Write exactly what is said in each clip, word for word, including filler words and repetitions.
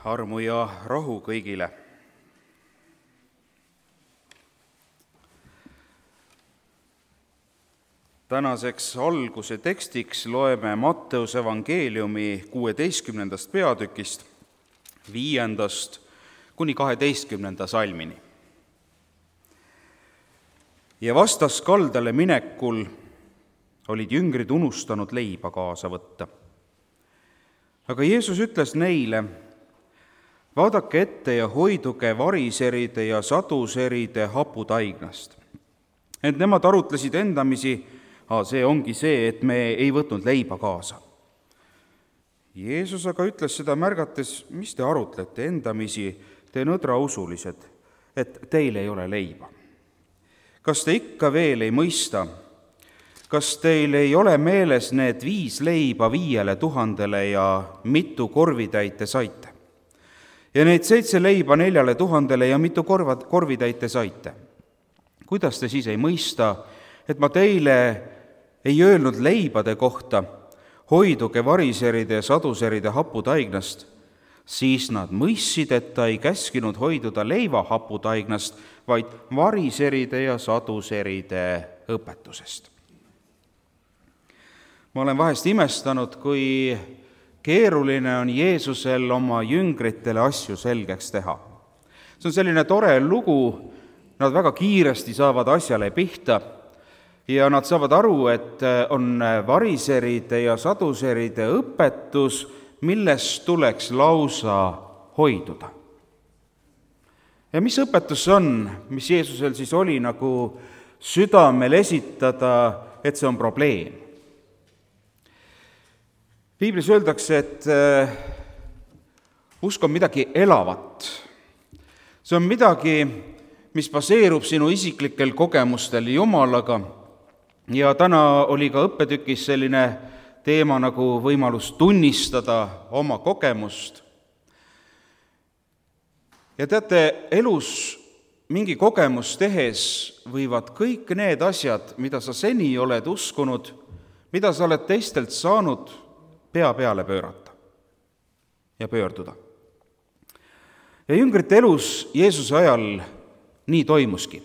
armu ja rahu kõigile. Tänaseks alguse tekstiks loeme Matteuse evangeeliumi kuueteistkümnendast peatükist, viiendast kuni kaheteistkümnenda salmini. Ja vastaskaldale minekul olid jüngrid unustanud leiba kaasa võtta. Aga Jeesus ütles neile, vaadake ette ja hoiduge variseride ja saduseride haputaignast. Ent nemad arutlesid endamisi, aa, see ongi see, et me ei võtnud leiba kaasa. Jeesus aga ütles seda märgates, mis te arutlete endamisi, te nõdrausulised, et teil ei ole leiba. Kas te ikka veel ei mõista? Kas teil ei ole meeles need viis leiba viiele tuhandele ja mitu korvitäite saite? Ja need seitse leiba neljale tuhandele ja mitu korvad, korvitäite saite? Kuidas te siis ei mõista, et ma teile ei öelnud leibade kohta, hoiduge variseride ja saduseride haputaignast, siis nad mõistsid, et ta ei käskinud hoiduda leiva haputaignast, vaid variseride ja saduseride õpetusest. Ma olen vahest imestanud, kui keeruline on Jeesusel oma jüngritele asju selgeks teha. See on selline tore lugu, nad väga kiiresti saavad asjale pihta ja nad saavad aru, et on variseride ja saduseride õpetus, millest tuleks lausa hoiduda. Ja mis õpetus on, mis Jeesusel siis oli nagu südamel esitada, et see on probleem? Piiblis öeldakse, et usk on midagi elavat. See on midagi, mis baseerub sinu isiklikel kogemustel Jumalaga. Ja täna oli ka õppetükis selline teema nagu võimalus tunnistada oma kogemust. Ja teate, elus mingi kogemus tehes võivad kõik need asjad, mida sa seni oled uskunud, mida sa oled teistelt saanud, pea peale pöörata ja pöörduda. Ja jüngrite elus Jeesuse ajal nii toimuski.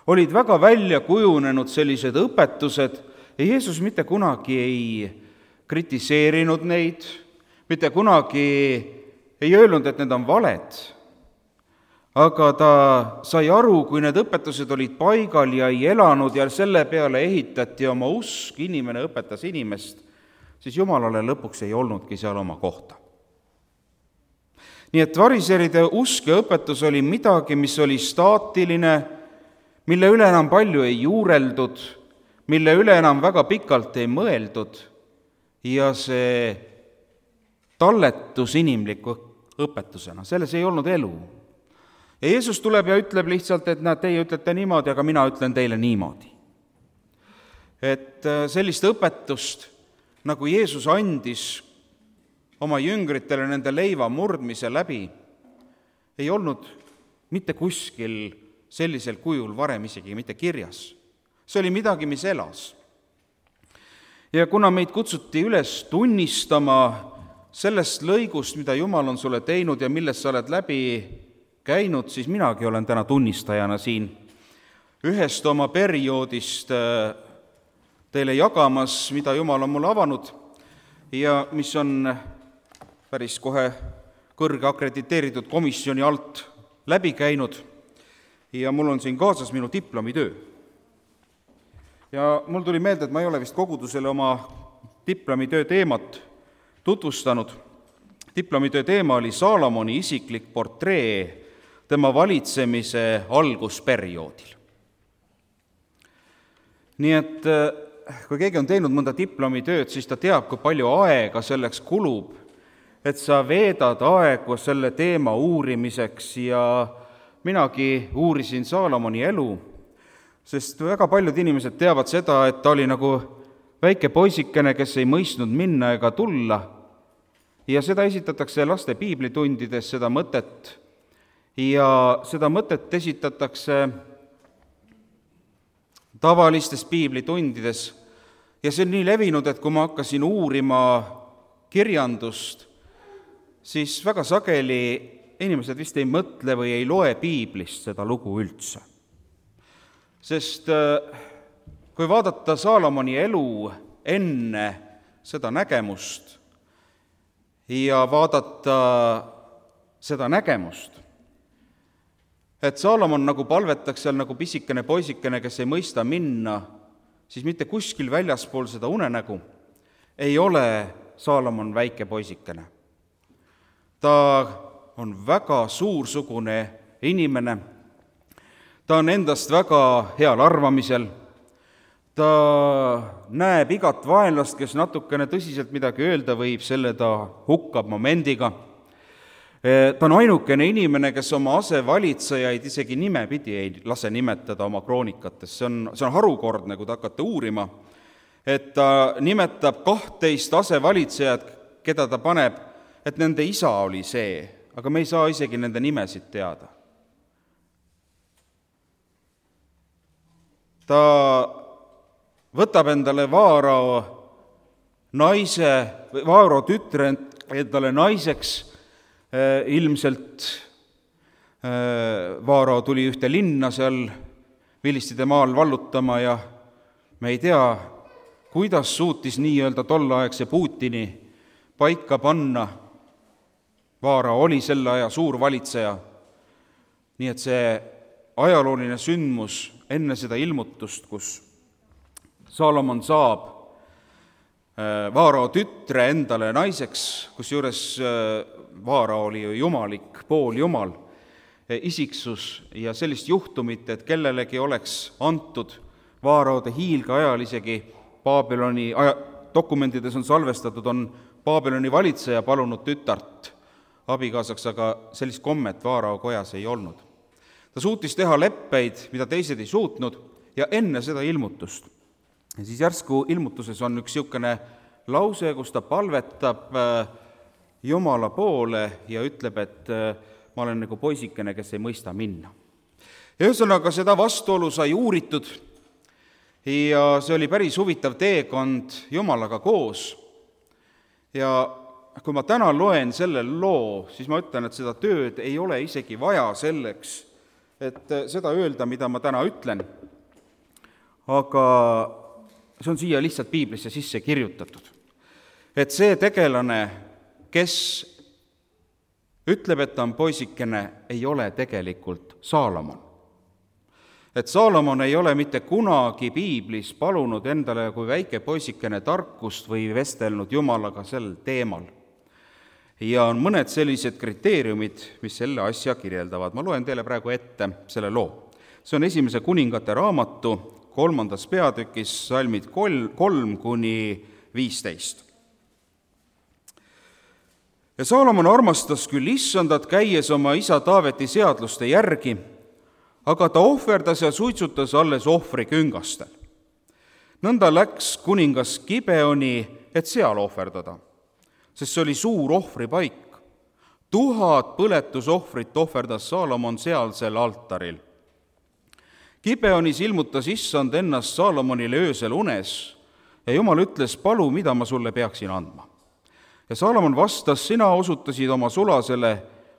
Olid väga välja kujunenud sellised õpetused ja Jeesus mitte kunagi ei kritiseerinud neid, mitte kunagi ei öelnud, et need on valed, aga ta sai aru, kui need õpetused olid paigal ja ei elanud ja selle peale ehitati oma usk, inimene õpetas inimest, siis Jumalale lõpuks ei olnudki seal oma kohta. Nii et variseride usk ja õpetus oli midagi, mis oli staatiline, mille üle enam palju ei juureldud, mille üle enam väga pikalt ei mõeldud ja see talletus inimliku õpetusena, selles ei olnud elu. Ja Jeesus tuleb ja ütleb lihtsalt, et näed, teie ütlete niimoodi, aga mina ütlen teile niimoodi. Et sellist õpetust, nagu Jeesus andis oma jüngritele nende leiva murdmise läbi, ei olnud mitte kuskil sellisel kujul varem isegi mitte kirjas. See oli midagi, mis elas. Ja kuna meid kutsuti üles tunnistama sellest lõigust, mida Jumal on sulle teinud ja millest sa oled läbi käinud, siis minagi olen täna tunnistajana siin ühest oma perioodist teile jagamas, mida Jumal on mulle avanud ja mis on päris kohe kõrge akrediteeritud komisjoni alt läbi käinud ja mul on siin kaasas minu diplomitöö. Ja mul tuli meelde, et ma ei ole vist kogudusele oma diplomitöö teemat tutvustanud. Diplomitöö teema oli Saalomoni isiklik portree tema valitsemise algusperioodil. Nii et kui keegi on teinud mõnda diplomitööd, siis ta teab, kui palju aega selleks kulub, et sa veedad aegu selle teema uurimiseks ja minagi uurisin Saalomoni elu, sest väga paljud inimesed teavad seda, et ta oli nagu väike poisikene, kes ei mõistnud minna ega tulla ja seda esitatakse laste piiblitundides, seda mõtet ja seda mõtet esitatakse tavalistes piiblitundides ja see on nii levinud, et kui ma hakkasin uurima kirjandust, siis väga sageli inimesed vist ei mõtle või ei loe piiblist seda lugu üldse. Sest kui vaadata Saalomoni elu enne seda nägemust ja vaadata seda nägemust, et Saalomon nagu palvetaks seal nagu pisikene poisikene, kes ei mõista minna, siis mitte kuskil väljaspool seda unenägu ei ole Saalomon väike poisikene. Ta on väga suursugune inimene, ta on endast väga heal arvamisel, ta näeb igat vaenlast, kes natukene tõsiselt midagi öelda võib, selle ta hukkab momendiga. Ta on ainukene inimene, kes oma asevalitsejaid isegi nimepidi ei lase nimetada oma kroonikates. See on, see on harukordne, kui te hakkate uurima, et ta nimetab kahtteist asevalitsejat, keda ta paneb, et nende isa oli see, aga me ei saa isegi nende nimesid teada. Ta võtab endale Vaarao naise, Vaarao tütre endale naiseks. Ilmselt Vaarao tuli ühte linna seal Vilistide maal vallutama ja me ei tea, kuidas suutis nii-öelda tolleaegse Putini paika panna. Vaarao oli selle aja suur valitseja, nii et see ajalooline sündmus enne seda ilmutust, kus Saalomon saab Vaarao tütre endale naiseks, kusjuures Vaarao oli ju jumalik, pooljumal isiksus ja sellist juhtumit, et kellelegi oleks antud Vaaraode hiilge ajal isegi Babyloni aja, dokumentides on salvestatud, on Babyloni valitseja palunud tütart abikaasaks, aga sellist kommet Vaarao kojas ei olnud. Ta suutis teha leppeid, mida teised ei suutnud, ja enne seda ilmutust. Ja siis järsku ilmutuses on üks niisugune lause, kus ta palvetab Jumala poole ja ütleb, et ma olen nagu poisikene, kes ei mõista minna. Ja ühesõnaga seda vastuolu sai uuritud ja see oli päris huvitav teekond Jumalaga koos. Ja kui ma täna loen selle loo, siis ma ütlen, et seda tööd ei ole isegi vaja selleks, et seda öelda, mida ma täna ütlen. Aga see on siia lihtsalt piiblisse sisse kirjutatud. Et see tegelane, kes ütleb, et ta on poisikene, ei ole tegelikult Saalomon. Et Saalomon ei ole mitte kunagi piiblis palunud endale kui väike poisikene tarkust või vestelnud Jumalaga sel teemal. Ja on mõned sellised kriteeriumid, mis selle asja kirjeldavad. Ma loen teile praegu ette selle loo. See on esimese kuningate raamatu kolmandas peatükis, salmid kolm, kolm kuni viisteist. Ja Saalomon armastas küll issandat, käies oma isa Taaveti seadluste järgi, aga ta ohverdas ja suitsutas alles ohvri küngastel. Nõnda läks kuningas Gibeoni, et seal ohverdada, sest see oli suur ohvripaik. Tuhat põletusohvrit ohverdas Saalomon sealsel altaril. Gibeonis ilmutas issand ennast Saalomonile öösel unes ja Jumal ütles, palu, mida ma sulle peaksin andma. Ja Saalomon vastas, sina osutasid oma sulasele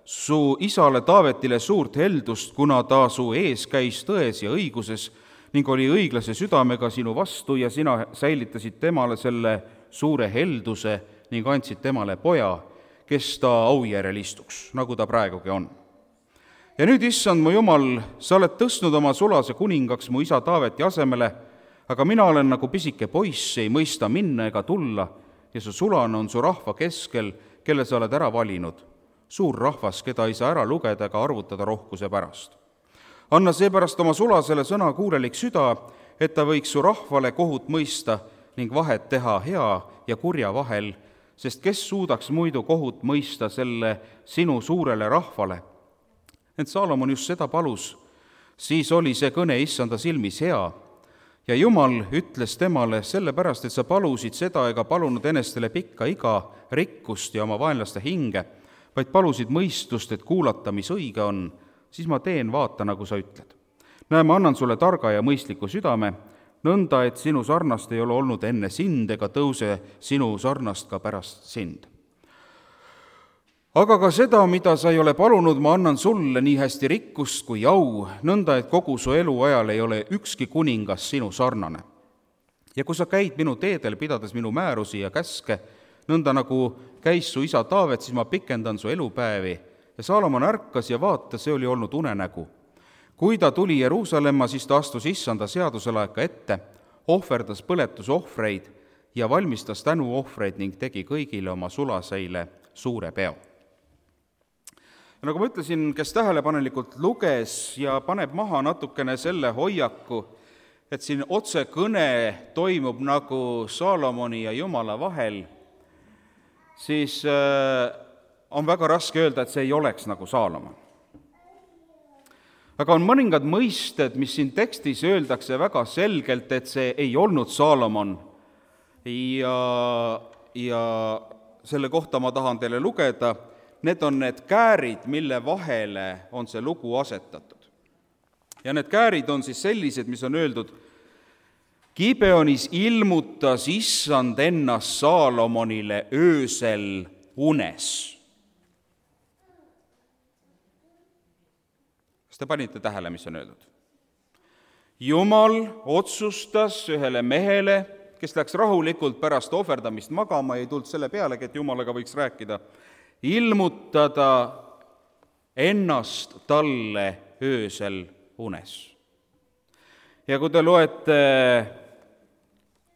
su isale Taavetile suurt heldust, kuna ta su ees käis tões ja õiguses ning oli õiglase südamega sinu vastu ja sina säilitasid temale selle suure helduse ning andsid temale poja, kes ta aujärjel istuks, nagu ta praegugi on. Ja nüüd, issand mu Jumal, sa oled tõstnud oma sulase kuningaks mu isa Taaveti asemele, aga mina olen nagu pisike poiss, ei mõista minna ega tulla, ja su sulane on su rahva keskel, kelle sa oled ära valinud, suur rahvas, keda ei saa ära lugeda ega arvutada rohkuse pärast. Anna seepärast oma sulasele sõna kuulelik süda, et ta võiks su rahvale kohut mõista ning vahet teha hea ja kurja vahel, sest kes suudaks muidu kohut mõista selle sinu suurele rahvale. Et Saalomon just seda palus, siis oli see kõne issanda silmis hea. Ja Jumal ütles temale, sellepärast, et sa palusid seda ega palunud enestele pikka iga, rikkust ja oma vaenlaste hinge, vaid palusid mõistust, et kuulata, mis õige on, siis ma teen, vaata, nagu sa ütled. Näe, ma annan sulle targa ja mõistliku südame, nõnda, et sinu sarnast ei ole olnud enne sind ega tõuse sinu sarnast ka pärast sind. aga ka seda, mida sa ei ole palunud, ma annan sulle, nii hästi rikkust kui au, nõnda, et kogu su eluajal ei ole ükski kuningas sinu sarnane. Ja kui sa käid minu teedel, pidades minu määrusi ja käske, nõnda nagu käis su isa Taavet, siis ma pikendan su elupäevi. Ja Saalomon ärkas ja vaata, see oli olnud unenägu. Kui ta tuli Jeruusalemma, siis ta astus issanda seaduselaeka ette, ohverdas põletusohvreid ja valmistas tänuohvreid ning tegi kõigile oma sulaseile suure peo. Ja nagu ma ütlesin, kes tähelepanelikult luges ja paneb maha natukene selle hoiaku, et siin otsekõne toimub nagu Saalomoni ja Jumala vahel, siis on väga raske öelda, et see ei oleks nagu Saalomon. Aga on mõningad mõisted, mis siin tekstis öeldakse väga selgelt, et see ei olnud Saalomon ja, ja selle kohta ma tahan teile lugeda. Need on need käärid, mille vahele on see lugu asetatud. Ja need käärid on siis sellised, mis on öeldud: Gibeonis ilmutas issand ennast Saalomonile öösel unes. Kas te panite tähele, mis on öeldud? Jumal otsustas ühele mehele, kes läks rahulikult pärast ohverdamist magama, ei tulnud selle pealegi, et Jumalaga võiks rääkida, ilmutada ennast talle öösel unes. Ja kui te loete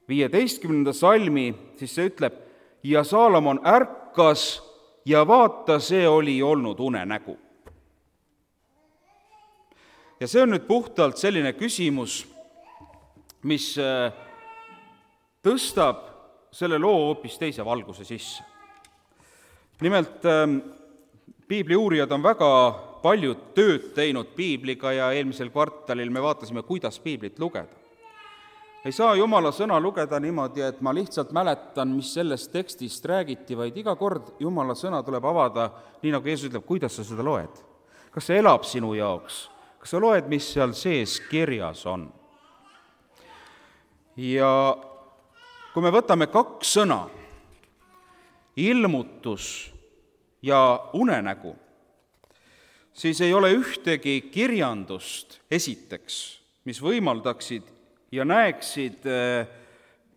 viieteistkümnenda salmi, siis see ütleb: ja Saalomon ärkas ja vaata, see oli olnud unenägu. Ja see on nüüd puhtalt selline küsimus, mis tõstab selle loo hoopis teise valguse sisse. Nimelt, piibli uurijad on väga palju tööd teinud piibliga ja eelmisel kvartalil me vaatasime, kuidas piiblit lugeda. Ei saa Jumala sõna lugeda niimoodi, et ma lihtsalt mäletan, mis sellest tekstist räägiti, vaid iga kord Jumala sõna tuleb avada, nii nagu Jeesus ütleb, kuidas sa seda loed. Kas see elab sinu jaoks? Kas sa loed, mis seal sees kirjas on? Ja kui me võtame kaks sõna, ilmutus ja unenägu, siis ei ole ühtegi kirjandust esiteks, mis võimaldaksid ja näeksid,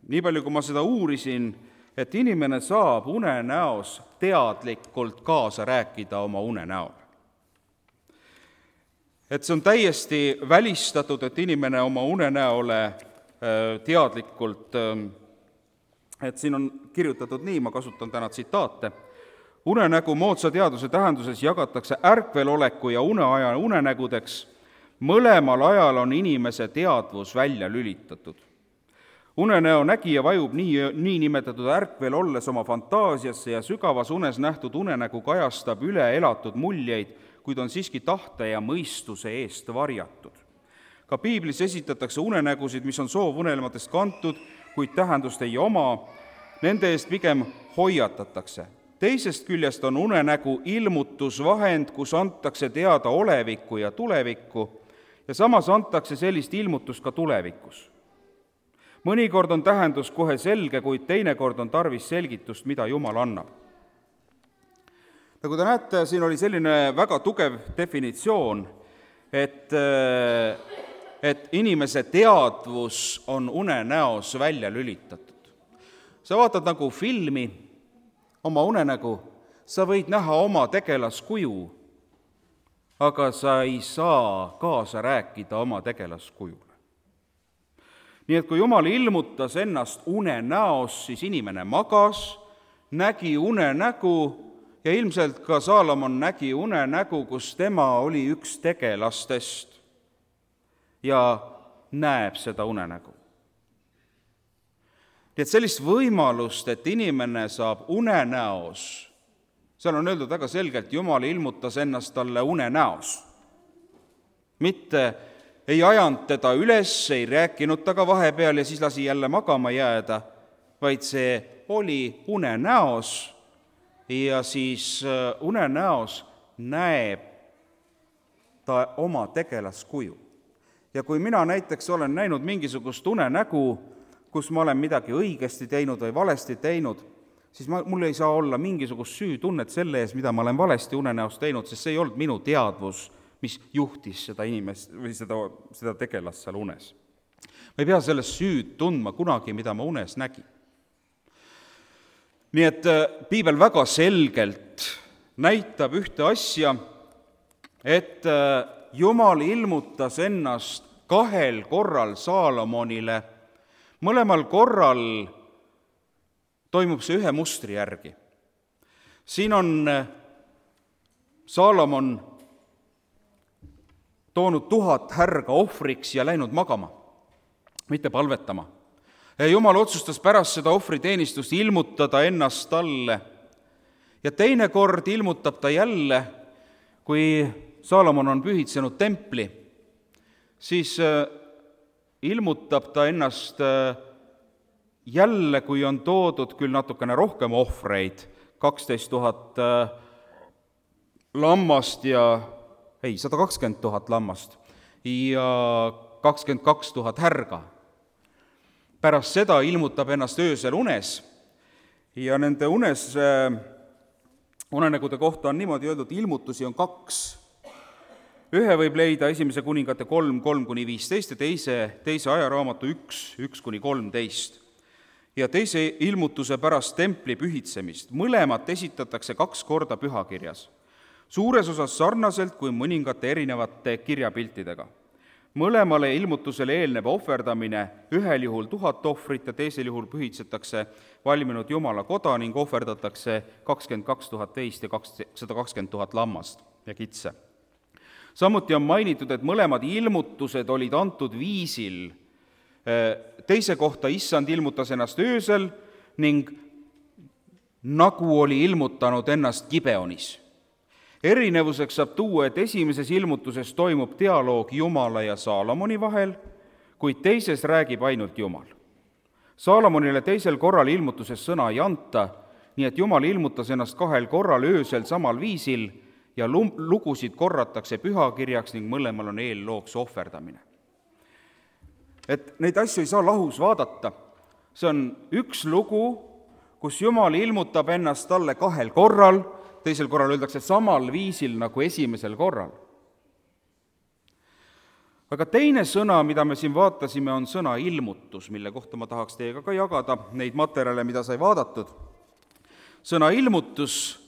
nii palju kui ma seda uurisin, et inimene saab unenäos teadlikult kaasa rääkida oma unenäol. Et see on täiesti välistatud, et inimene oma unenäole teadlikult, et siin on kirjutatud nii, ma kasutan täna tsitaate, unenägu moodsa teaduse tähenduses jagatakse ärkveloleku ja uneaja unenägudeks, mõlemal ajal on inimese teadvus välja lülitatud. Unenäo nägija vajub nii, nii nimetatud ärkvel olles oma fantaasiasse ja sügavas unes nähtud unenägu kajastab üle elatud muljeid, kuid on siiski tahte ja mõistuse eest varjatud. Ka piiblis esitatakse unenägusid, mis on soovunelmatest kantud, kuid tähendust ei oma, nende eest pigem hoiatatakse. Teisest küljest on unenägu ilmutusvahend, kus antakse teada olevikku ja tulevikku, ja samas antakse sellist ilmutust ka tulevikus. Mõnikord on tähendus kohe selge, kuid teinekord on tarvis selgitust, mida Jumal annab. Nagu te näete, siin oli selline väga tugev definitsioon, et, et inimese teadvus on unenäos välja lülitatud. Sa vaatad nagu filmi, oma unenägu, sa võid näha oma tegelaskuju, aga sa ei saa kaasa rääkida oma tegelaskujule. Nii et kui Jumal ilmutas ennast unenäos, siis inimene magas, nägi unenägu ja ilmselt ka Saalomon nägi unenägu, kus tema oli üks tegelastest ja näeb seda unenägu. Nii et sellist võimalust, et inimene saab unenäos, seal on öeldud väga selgelt, Jumal ilmutas ennast talle unenäos. Mitte ei ajanud teda üles, ei rääkinud taga vahepeal ja siis lasi jälle magama jääda, vaid see oli unenäos ja siis unenäos näeb ta oma tegelaskuju. Ja kui mina näiteks olen näinud mingisugust unenägu, kus ma olen midagi õigesti teinud või valesti teinud, siis ma, mul ei saa olla mingisugust süütunnet selle ees, mida ma olen valesti unenäos teinud, sest see ei olnud minu teadvus, mis juhtis seda inimest või seda, seda tegelast seal unes. Ma ei pea sellest süüd tundma kunagi, mida ma unes nägin. Nii et piibel väga selgelt näitab ühte asja, et Jumal ilmutas ennast kahel korral Saalomonile. Mõlemal korral toimub see ühe mustri järgi. Siin on Saalomon toonud tuhat härga ohvriks ja läinud magama, mitte palvetama. Jumal otsustas pärast seda ohvriteenistust ilmutada ennast talle ja teine kord ilmutab ta jälle, kui Saalomon on pühitsenud templi, siis ilmutab ta ennast jälle, kui on toodud küll natukene rohkem ohvreid, kaksteist tuhat lammast ja, ei, sada kakskümmend tuhat lammast ja kakskümmend kaks tuhat härga. Pärast seda ilmutab ennast öösel unes ja nende unes, unenägude kohta on niimoodi öeldud, ilmutusi on kaks. Ühe võib leida esimese kuningate kolm, kolm kuni viisteist ja teise, teise ajaraamatu üks, üks kuni kolmteist. Ja teise ilmutuse pärast templi pühitsemist. Mõlemat esitatakse kaks korda pühakirjas. Suures osas sarnaselt kui mõningate erinevate kirjapiltidega. Mõlemale ilmutusele eelneb ohverdamine, ühel juhul tuhat ohvrit ja teisel juhul pühitsetakse valminud Jumala koda ning ohverdatakse kakskümmend kaks tuhat veist ja sada kakskümmend tuhat lammast ja kitse. Samuti on mainitud, et mõlemad ilmutused olid antud viisil. Teise kohta issand ilmutas ennast öösel ning nagu oli ilmutanud ennast Gibeonis. Erinevuseks saab tuua, et esimeses ilmutuses toimub dialoog Jumala ja Saalomoni vahel, kuid teises räägib ainult Jumal. Saalomonile teisel korral ilmutuses sõna ei anta, nii et Jumal ilmutas ennast kahel korral öösel samal viisil ja lugusid korratakse pühakirjaks ning mõlemal on eellooks ohverdamine. Et neid asju ei saa lahus vaadata. See on üks lugu, kus Jumal ilmutab ennast talle kahel korral, teisel korral öeldakse samal viisil nagu esimesel korral. Aga teine sõna, mida me siin vaatasime, on sõna ilmutus, mille kohta ma tahaks teiega ka jagada neid materjale, mida sai vaadatud. Sõna ilmutus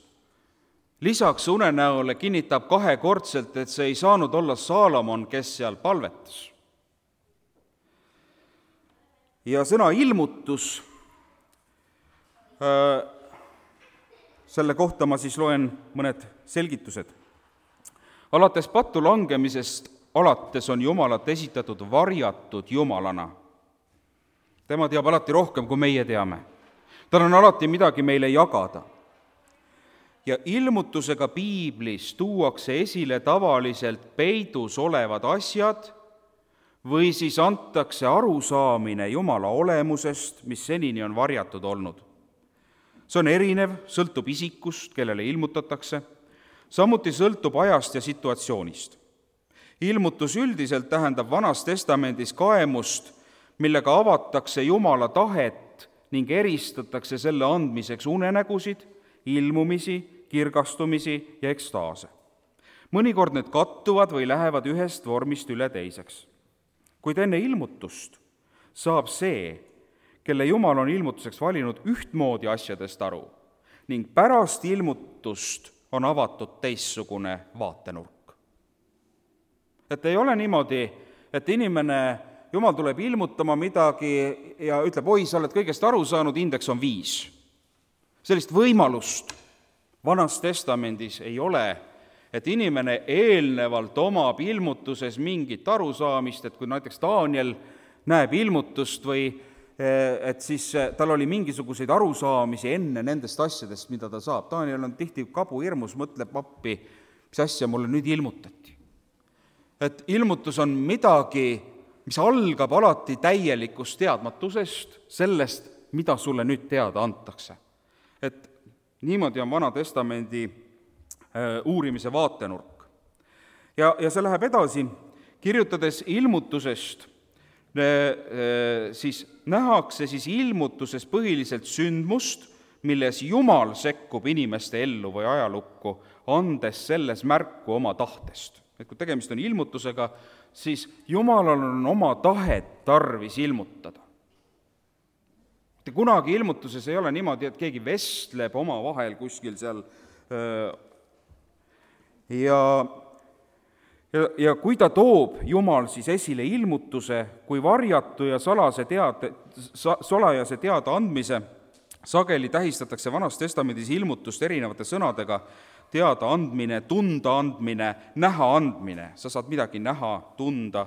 lisaks unenäole kinnitab kahekordselt, et see ei saanud olla Saalomon, kes seal palvetas. Ja sõna ilmutus, äh, selle kohta ma siis loen mõned selgitused. Alates pattu langemisest alates on Jumalat esitatud varjatud Jumalana. Tema teab alati rohkem, kui meie teame. Tal on alati midagi meile jagada. Ja ilmutusega piiblis tuuakse esile tavaliselt peidus olevad asjad või siis antakse arusaamine Jumala olemusest, mis senini on varjatud olnud. See on erinev, sõltub isikust, kellele ilmutatakse, samuti sõltub ajast ja situatsioonist. Ilmutus üldiselt tähendab Vanas Testamendis kaemust, millega avatakse Jumala tahet ning eristatakse selle andmiseks unenägusid, ilmumisi, kirgastumisi ja ekstaase. Mõnikord need kattuvad või lähevad ühest vormist üle teiseks. Kuid enne ilmutust saab see, kelle Jumal on ilmutuseks valinud, ühtmoodi asjadest aru ning pärast ilmutust on avatud teistsugune vaatenurk. Et ei ole niimoodi, et inimene, Jumal tuleb ilmutama midagi ja ütleb, oi, sa oled kõigest aru saanud, indeks on viis. Sellist võimalust Vanas Testamendis ei ole, et inimene eelnevalt omab ilmutuses mingit arusaamist, et kui näiteks Daniel näeb ilmutust või et siis tal oli mingisuguseid arusaamisi enne nendest asjadest, mida ta saab. Daniel on tihti kabu hirmus, mõtleb appi, mis asja mulle nüüd ilmutati. Et ilmutus on midagi, mis algab alati täielikust teadmatusest, sellest, mida sulle nüüd teada antakse. Et niimoodi on Vana Testamendi uurimise vaatenurk. Ja, ja see läheb edasi, kirjutades ilmutusest, siis nähakse siis ilmutuses põhiliselt sündmust, milles Jumal sekkub inimeste ellu või ajalukku, andes selles märku oma tahtest. Et kui tegemist on ilmutusega, siis Jumalal on oma tahet tarvis ilmutada. Mitte kunagi ilmutuses ei ole niimoodi, et keegi vestleb omavahel kuskil seal ja, ja, ja kui ta toob Jumal siis esile ilmutuse kui varjatu ja salase teade, salajase teada andmise, sageli tähistatakse Vanas Testamendis ilmutust erinevate sõnadega, teada andmine, tunda andmine, näha andmine, sa saad midagi näha, tunda.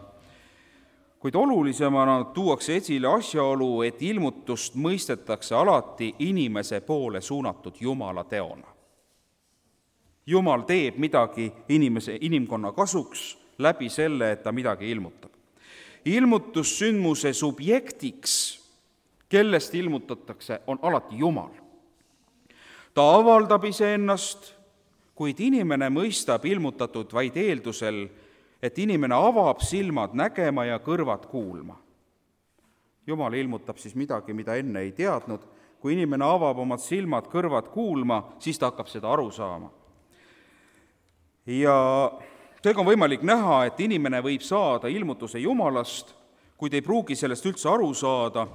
Kuid olulisemana tuuakse esile asjaolu, et ilmutust mõistetakse alati inimese poole suunatud Jumala teona. Jumal teeb midagi inimese, inimkonna kasuks läbi selle, et ta midagi ilmutab. Ilmutussündmuse subjektiks, kellest ilmutatakse, on alati Jumal. Ta avaldab iseennast, kuid inimene mõistab ilmutatud vaid eeldusel, et inimene avab silmad nägema ja kõrvad kuulma. Jumal ilmutab siis midagi, mida enne ei teadnud. Kui inimene avab omad silmad, kõrvad kuulma, siis ta hakkab seda aru saama. Ja seega on võimalik näha, et inimene võib saada ilmutuse Jumalast, kuid ei pruugi sellest üldse aru saada,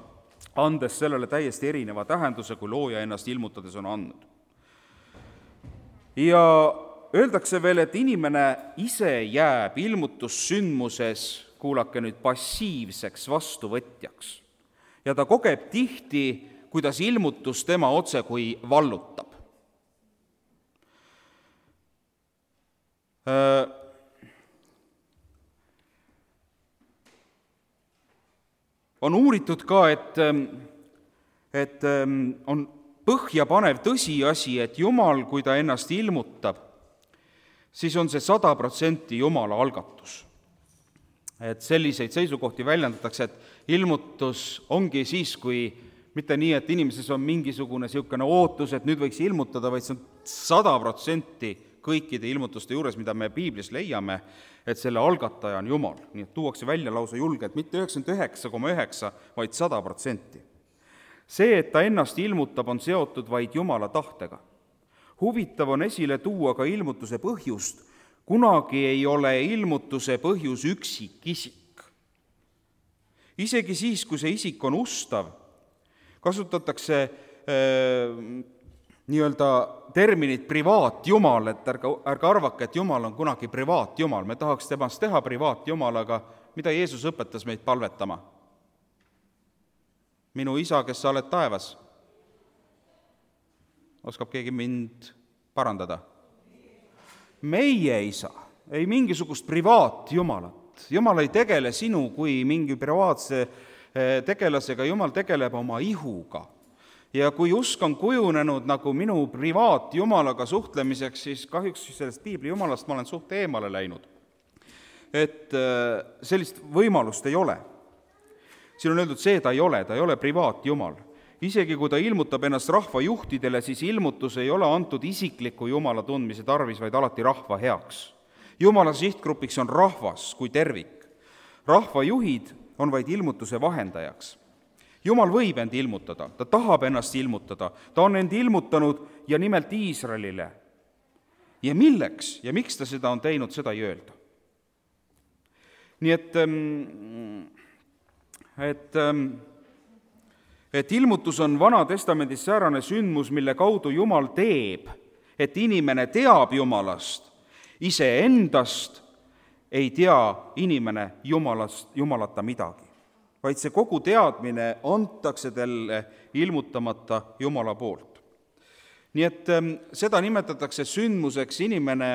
andes sellele täiesti erineva tähenduse, kui looja ennast ilmutades on andnud. Ja öeldakse veel, et inimene ise jääb ilmutussündmuses, kuulake nüüd, passiivseks vastuvõtjaks. Ja ta kogeb tihti, kuidas ilmutus tema otse kui vallutab. On uuritud ka, et, et on põhjapanev tõsiasi, et Jumal, kui ta ennast ilmutab, siis on see sada protsenti Jumala algatus. Et selliseid seisukohti väljendatakse, et ilmutus ongi siis, kui mitte nii, et inimeses on mingisugune niisugune ootus, et nüüd võiks ilmutada, vaid see on sada protsenti kõikide ilmutuste juures, mida me Piiblis leiame, et selle algataja on Jumal. Nii et tuuakse välja lausa julgelt, mitte üheksakümmend üheksa koma üheksa, vaid sada protsenti. See, et ta ennast ilmutab, on seotud vaid Jumala tahtega. Huvitav on esile tuua ka ilmutuse põhjust. Kunagi ei ole ilmutuse põhjus üksik isik. Isegi siis, kui see isik on ustav, kasutatakse äh, nii-öelda terminit privaatjumal, et ärge, ärge arvake, et Jumal on kunagi privaatjumal. Me tahaks temast teha privaatjumal, aga mida Jeesus õpetas meid palvetama? Minu isa, kes sa oled taevas. Oskab keegi mind parandada? Meie isa, ei mingisugust privaatjumalat. Jumal ei tegele sinu kui mingi privaatse tegelasega, Jumal tegeleb oma ihuga. Ja kui usk on kujunenud nagu minu privaatjumalaga suhtlemiseks, siis kahjuks sellest piibli jumalast ma olen suht eemale läinud. Et sellist võimalust ei ole. Siin on öeldud see, ta ei ole, ta ei ole privaatjumal. Isegi kui ta ilmutab ennast rahva juhtidele, siis ilmutus ei ole antud isikliku Jumala tundmise tarvis, vaid alati rahva heaks. Jumala sihtgrupiks on rahvas kui tervik. Rahva juhid on vaid ilmutuse vahendajaks. Jumal võib end ilmutada, ta tahab ennast ilmutada, ta on end ilmutanud ja nimelt Iisraelile. Ja milleks ja miks ta seda on teinud, seda ei öelda. Nii et, et, et ilmutus on Vana Testamendis säärane sündmus, mille kaudu Jumal teeb, et inimene teab Jumalast, iseendast ei tea inimene Jumalast, Jumalata midagi, vaid see kogu teadmine antakse talle ilmutamata Jumala poolt. Nii et seda nimetatakse sündmuseks inimene,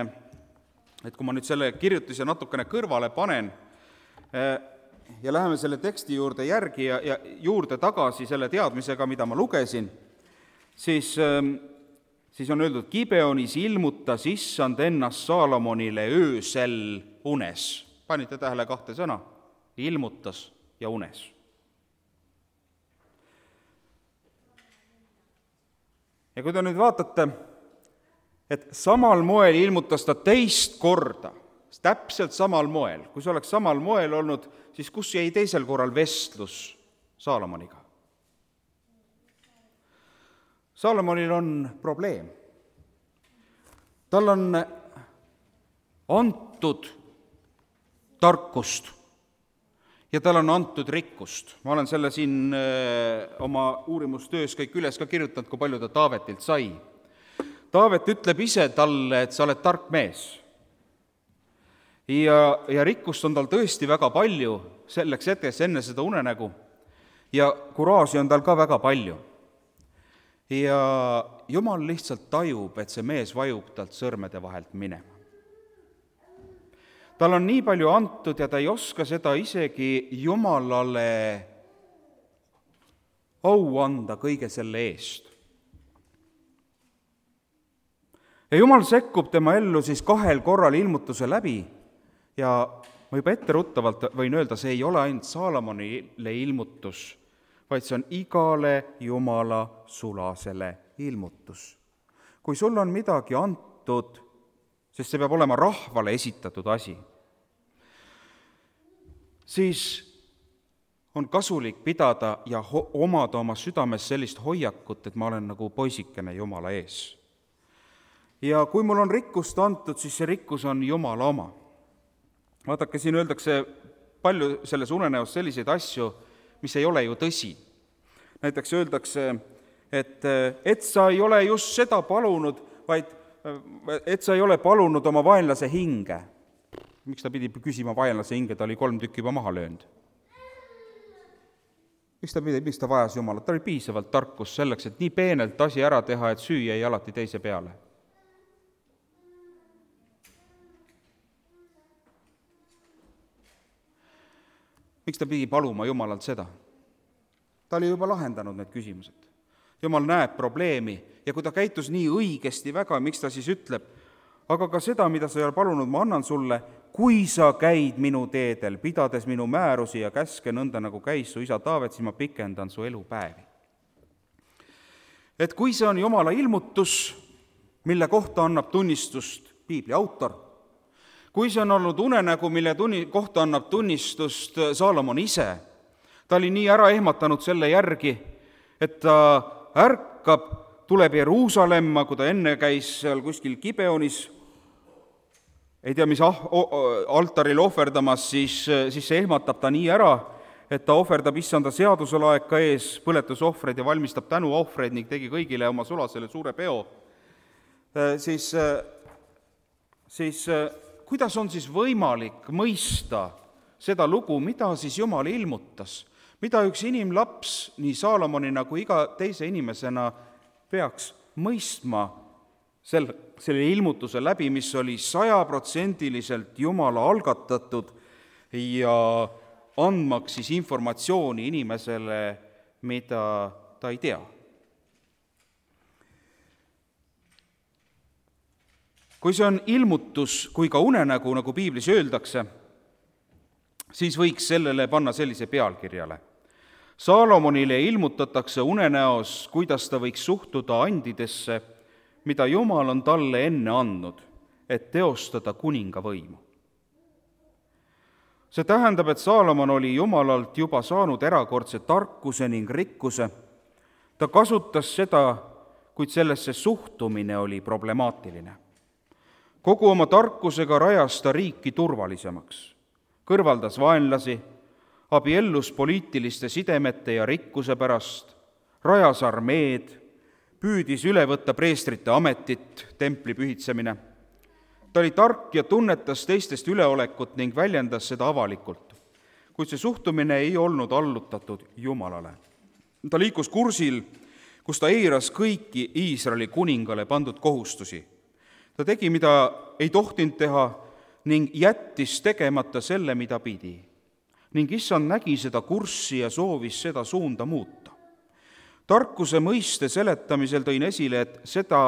et kui ma nüüd selle kirjutise natukene kõrvale panen ja läheme selle teksti juurde järgi ja, ja juurde tagasi selle teadmisega, mida ma lugesin, siis, siis on öeldud, Gibeonis ilmutas issand ennast Saalomonile öösel unes. Panite tähele kahte sõna? Ilmutas ja unes. Ja kui te nüüd vaatate, et samal moel ilmutas ta teist korda, täpselt samal moel, kui see oleks samal moel olnud, siis kus jäi teisel korral vestlus Saalomoniga? Saalomonil on probleem. tal on antud tarkust ja tal on antud rikkust. Ma olen selle siin oma uurimustöös kõik üles ka kirjutanud, kui palju ta Taavetilt sai. Taavet ütleb ise talle, et sa oled tark mees. Ja, ja rikkust on tal tõesti väga palju selleks hetkeks enne seda unenägu ja kuraasi on tal ka väga palju. Ja Jumal lihtsalt tajub, et see mees vajub talt sõrmede vahelt minema. Tal on nii palju antud ja ta ei oska seda isegi Jumalale au anda kõige selle eest. Ja Jumal sekkub tema ellu siis kahel korral ilmutuse läbi ja ma juba etteruttavalt võin öelda, see ei ole ainult Saalomonile ilmutus, vaid see on igale Jumala sulasele ilmutus. Kui sul on midagi antud, sest see peab olema rahvale esitatud asi, siis on kasulik pidada ja ho- omada oma südames sellist hoiakut, et ma olen nagu poisikene Jumala ees. Ja kui mul on rikkust antud, siis see rikkus on Jumala oma. Vaadake, siin öeldakse palju selles unenäos selliseid asju, mis ei ole ju tõsi. Näiteks öeldakse, et, et sa ei ole just seda palunud, vaid et sa ei ole palunud oma vaenlase hinge. Miks ta pidi küsima vaenlase hinge, ta oli kolm tükki juba maha löönud? Miks ta, pidi, miks ta vajas Jumalat? Ta oli piisavalt tarkus selleks, et nii peenelt asi ära teha, et süü jäi alati teise peale. Miks ta pidi paluma Jumalalt seda? Ta oli juba lahendanud need küsimused. Jumal näeb probleemi ja kui ta käitus nii õigesti väga, miks ta siis ütleb, aga ka seda, mida sa ei ole palunud, ma annan sulle, kui sa käid minu teedel, pidades minu määrusi ja käske nõnda, nagu käis su isa Taavet, siis ma pikendan su elupäevi. Et kui see on Jumala ilmutus, mille kohta annab tunnistust Piibli autor, kui see on olnud unenägu, mille tunni, kohta annab tunnistust Saalomon ise, ta oli nii ära ehmatanud selle järgi, et ta ärkab, tuleb Jeruusalemma, kui ta enne käis seal kuskil Gibeonis, ei tea, mis ah, altaril ohverdamas, siis, siis see ehmatab ta nii ära, et ta ohverdab issanda seaduselaeka ees põletusohvreid ja valmistab tänuohvreid ning tegi kõigile oma sulasele suure peo. Siis, siis kuidas on siis võimalik mõista seda lugu, mida siis Jumal ilmutas, mida üks inimlaps nii Saalomonina kui iga teise inimesena peaks mõistma selle, selle ilmutuse läbi, mis oli sajaprotsendiliselt Jumala algatatud ja andmaks siis informatsiooni inimesele, mida ta ei tea. Kui see on ilmutus, kui ka unenägu, nagu Piiblis öeldakse, siis võiks sellele panna sellise pealkirjale. Saalomonile ilmutatakse unenäos, kuidas ta võiks suhtuda andidesse, mida Jumal on talle enne andnud, et teostada kuninga võimu. See tähendab, et Saalomon oli Jumalalt juba saanud erakordse tarkuse ning rikkuse. Ta kasutas seda, kuid sellesse suhtumine oli problemaatiline. Kogu oma tarkusega rajas ta riiki turvalisemaks, kõrvaldas vaenlasi, abiellus poliitiliste sidemete ja rikkuse pärast, rajas armeed, püüdis üle võtta preestrite ametit, templi pühitsemine. Ta oli tark ja tunnetas teistest üleolekut ning väljendas seda avalikult, kuid see suhtumine ei olnud allutatud Jumalale. Ta liikus kursil, kus ta eiras kõiki Iisraeli kuningale pandud kohustusi. Ta tegi, mida ei tohtinud teha ning jättis tegemata selle, mida pidi. Ning issand nägi seda kurssi ja soovis seda suunda muuta. Tarkuse mõiste seletamisel tõin esile, et seda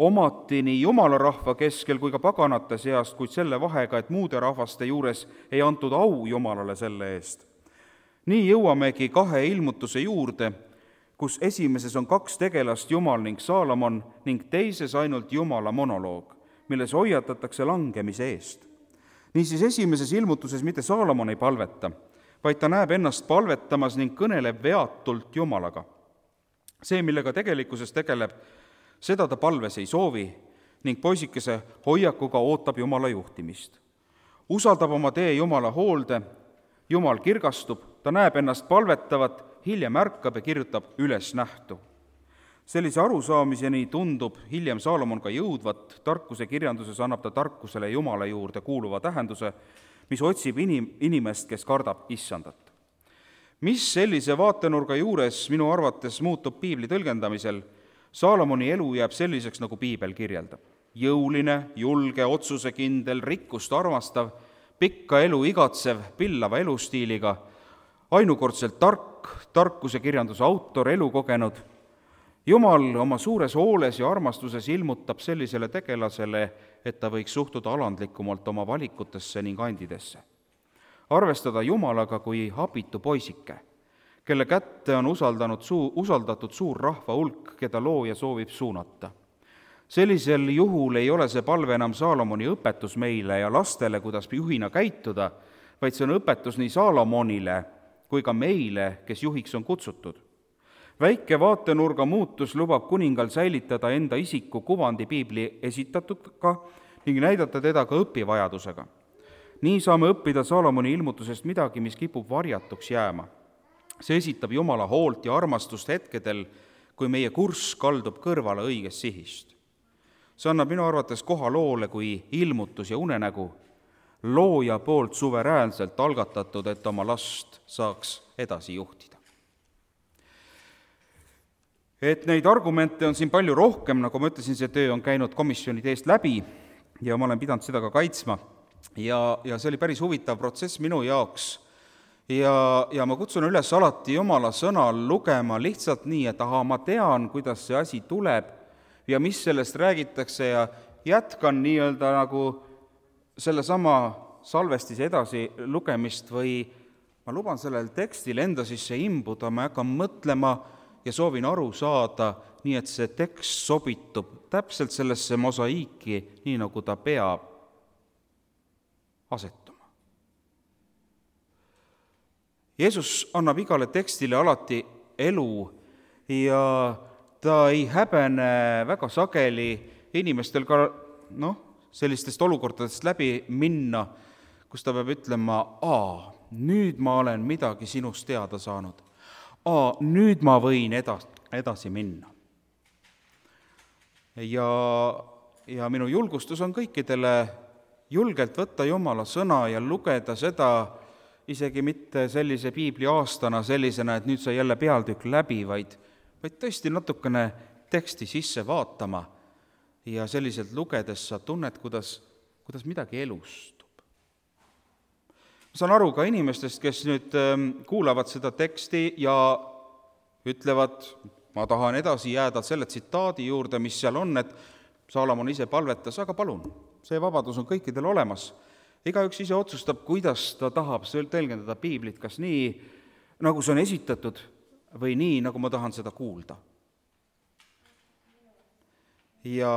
omati nii Jumala rahva keskel kui ka paganate seast, kuid selle vahega, et muude rahvaste juures ei antud au Jumalale selle eest. Nii jõuamegi kahe ilmutuse juurde, kus esimeses on kaks tegelast, Jumal ning Saalomon, ning teises ainult Jumala monoloog, milles hoiatatakse langemise eest. Niisiis esimeses ilmutuses mitte Saalomon ei palveta, vaid ta näeb ennast palvetamas ning kõneleb veatult Jumalaga. see, millega tegelikkuses tegeleb, seda ta palves ei soovi ning poisikese hoiakuga ootab Jumala juhtimist. Usaldab oma tee Jumala hoolde, Jumal kirgastub, ta näeb ennast palvetavat, hiljem ärkab ja kirjutab üles nähtu. Sellise arusaamiseni tundub hiljem Saalomon ka jõudvat, tarkuse kirjanduses annab ta tarkusele Jumala juurde kuuluva tähenduse, mis otsib inim- inimest, kes kardab issandat. Mis sellise vaatenurga juures minu arvates muutub piibli tõlgendamisel? Saalomoni elu jääb selliseks, nagu piibel kirjeldab. Jõuline, julge, otsusekindel, rikkust armastav, pikka elu igatsev, pillava elustiiliga, ainukordselt tark, tarkuse kirjanduse autor, elukogenud. Jumal oma suures hooles ja armastuses ilmutab sellisele tegelasele, et ta võiks suhtuda alandlikumalt oma valikutesse ning andidesse. Arvestada Jumalaga kui abitu poisike, kelle kätte on usaldanud suu, usaldatud suur rahva hulk, keda looja soovib suunata. Sellisel juhul ei ole see palve enam Saalomoni õpetus meile ja lastele, kuidas juhina käituda, vaid see on õpetus nii Saalomonile kui ka meile, kes juhiks on kutsutud. Väike vaatenurga muutus lubab kuningal säilitada enda isiku kuvandi piibli esitatuga ning näidata teda ka õpivajadusega. Nii saame õppida Saalomoni ilmutusest midagi, mis kipub varjatuks jääma. See esitab Jumala hoolt ja armastust hetkedel, kui meie kurss kaldub kõrvale õigest sihist. See annab minu arvates koha loole kui ilmutus ja unenägu, looja poolt suveräänselt algatatud, et oma last saaks edasi juhtida. Et neid argumente on siin palju rohkem, nagu ma ütlesin, see töö on käinud komisjonide eest läbi ja ma olen pidanud seda ka kaitsma. Ja, ja see oli päris huvitav protsess minu jaoks. Ja, ja ma kutsun üles alati Jumala sõnal lugema lihtsalt nii, et aha, ma tean, kuidas see asi tuleb ja mis sellest räägitakse ja jätkan nii-öelda nagu sellesama salvestise edasi lugemist või ma luban sellel tekstil enda sisse imbuda, ma hakkan mõtlema ja soovin aru saada, nii et see tekst sobitub täpselt sellesse mosaiiki, nii nagu ta peab asetuma. Jeesus annab igale tekstile alati elu ja ta ei häbene väga sageli inimestel ka noh, sellistest olukordadest läbi minna, kus ta peab ütlema, aa, nüüd ma olen midagi sinust teada saanud. Aa, nüüd ma võin edas, edasi minna. Ja, ja minu julgustus on kõikidele julgelt võtta Jumala sõna ja lugeda seda isegi mitte sellise piibli aastana sellisena, et nüüd sai jälle pealtükk läbi, vaid, vaid tõesti natukene teksti sisse vaatama ja selliselt lugedes sa tunned, kuidas, kuidas midagi elustub. Ma saan aru ka inimestest, kes nüüd kuulavad seda teksti ja ütlevad, ma tahan edasi jääda selle tsitaadi juurde, mis seal on, et Saalomon ise palvetas, aga palun, see vabadus on kõikidel olemas. Igaüks ise otsustab, kuidas ta tahab tõlgendada piiblit, kas nii, nagu see on esitatud, või nii, nagu ma tahan seda kuulda. Ja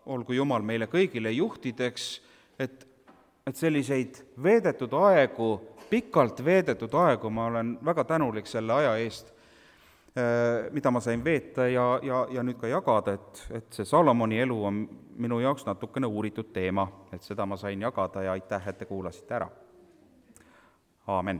olgu Jumal meile kõigile juhtideks, et, et selliseid veedetud aegu, pikalt veedetud aegu, ma olen väga tänulik selle aja eest, mida ma sain veeta ja, ja, ja nüüd ka jagada, et, et see Saalomoni elu on minu jaoks natukene uuritud teema, et seda ma sain jagada ja aitäh, et te kuulasite ära. Aamen.